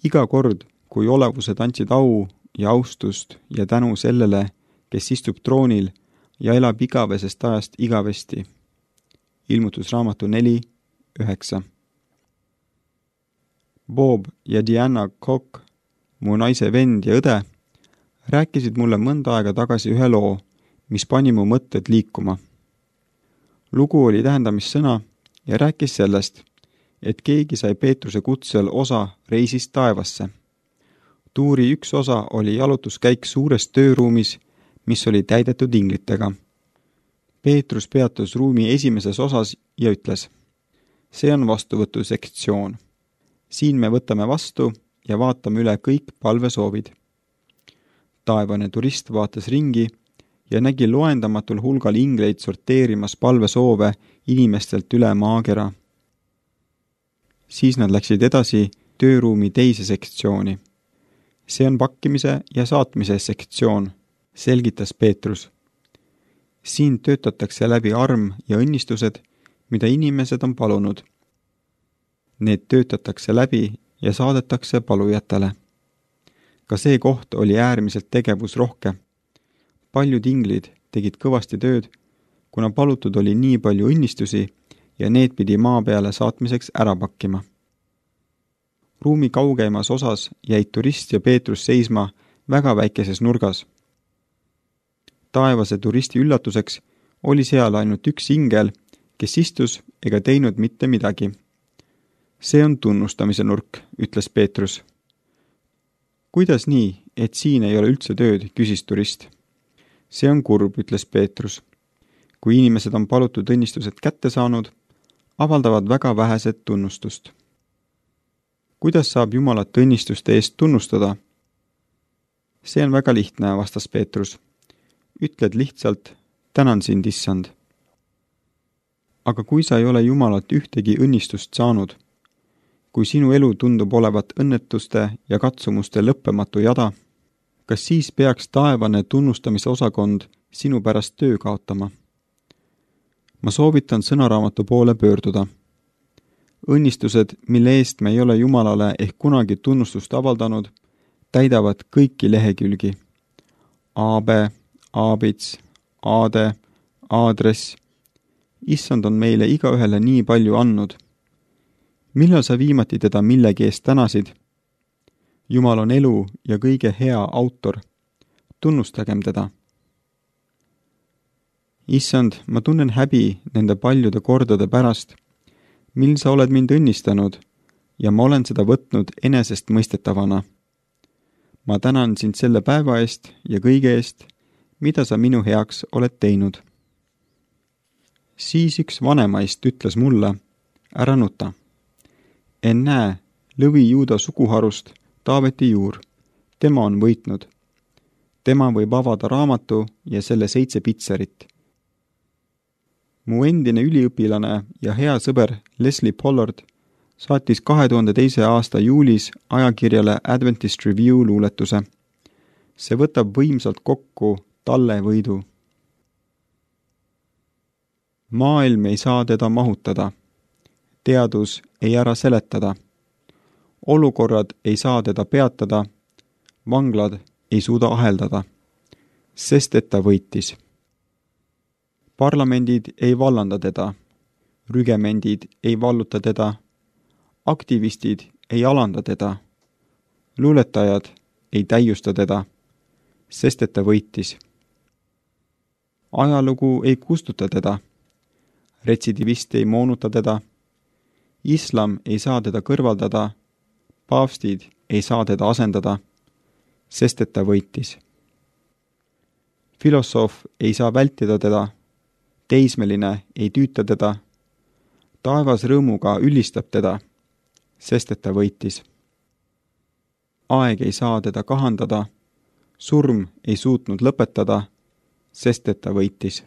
Iga kord, kui olevused andsid au ja austust ja tänu sellele, kes istub troonil ja elab igavesest ajast igavesti. Ilmutusraamatu 4:9. Bob ja Diana Koch, mu naise vend ja õde, rääkisid mulle mõnda aega tagasi ühe loo, mis pani mu mõtted liikuma. Lugu oli tähendamissõna ja rääkis sellest, et keegi sai Peetruse kutsel osa reisist taevasse. Tuuri üks osa oli jalutuskäik suures tööruumis, mis oli täidetud inglitega. Peetrus peatus ruumi esimeses osas ja ütles: see on vastuvõtu sektsioon. Siin me võtame vastu ja vaatame üle kõik palvesoovid. Taevane turist vaatas ringi ja nägi loendamatul hulgal ingleid sorteerimas palvesoove inimestelt üle maakera. Siis nad läksid edasi tööruumi teise sektsiooni. See on pakkimise ja saatmise sektsioon, selgitas Peetrus. Siin töötatakse läbi arm ja õnnistused, mida inimesed on palunud. Need töötatakse läbi ja saadetakse palujatele. Ka see koht oli äärmiselt tegevusrohke. Paljud inglid tegid kõvasti tööd, kuna palutud oli nii palju õnnistusi ja need pidi maa peale saatmiseks ära pakkima. Ruumi kaugeimas osas jäid turist ja Peetrus seisma väga väikeses nurgas. Taevase turisti üllatuseks oli seal ainult üks ingel, kes istus ega teinud mitte midagi. See on tunnustamise nurk, ütles Peetrus. Kuidas nii, et siin ei ole üldse tööd, küsis turist. See on kurb, ütles Peetrus. Kui inimesed on palutud õnnistused kätte saanud, avaldavad väga vähesed tunnustust. Kuidas saab Jumalat õnnistuste eest tunnustada? See on väga lihtne, vastas Peetrus. Ütled lihtsalt, tänan sind, issand. Aga kui sa ei ole Jumalat ühtegi õnnistust saanud, kui sinu elu tundub olevat õnnetuste ja katsumuste lõppematu jada, kas siis peaks taevane tunnustamise osakond sinu pärast töö kaotama? Ma soovitan sõnaraamatu poole pöörduda. Õnnistused, mille eest me ei ole Jumalale ehk kunagi tunnustust avaldanud, täidavad kõiki lehekülgi. Aabe, aabits, aade, aadress. Issand on meile igaühele nii palju andnud. Millal sa viimati teda millegi eest tänasid? Jumal on elu ja kõige hea autor. Tunnustagem teda. Issand, ma tunnen häbi nende paljude kordade pärast, mil sa oled mind õnnistanud ja ma olen seda võtnud enesestmõistetavana. Ma tänan sind selle päeva eest ja kõige eest, mida sa minu heaks oled teinud. Siis üks vanemaist ütles mulle, ära nuta. Ennäe, lõvi Juuda suguharust Taaveti juur. Tema on võitnud. Tema võib avada raamatu ja selle 7 pitserit. Mu endine üliõpilane ja hea sõber Leslie Pollard saatis 2002. aasta juulis ajakirjale Adventist Review luuletuse. See võtab võimsalt kokku talle võidu. Maailm ei saa teda mahutada. Teadus ei ära seletada. Olukorrad ei saa teda peatada. Vanglad ei suuda aheldada. Sest et ta võitis. Parlamendid ei vallanda teda. Rügemendid ei valluta teda. Aktivistid ei alanda teda. Luuletajad ei täiusta teda. Sest et ta võitis. Ajalugu ei kustuta teda. Retsidivist ei moonuta teda. Islam ei saa teda kõrvaldada. Paavstid ei saa teda asendada. Sest et ta võitis. Filosoof ei saa vältida teda. Teismeline ei tüüta teda. Taevas rõõmuga ülistab teda. Sest et ta võitis. Aeg ei saa teda kahandada. Surm ei suutnud lõpetada. Sest et ta võitis.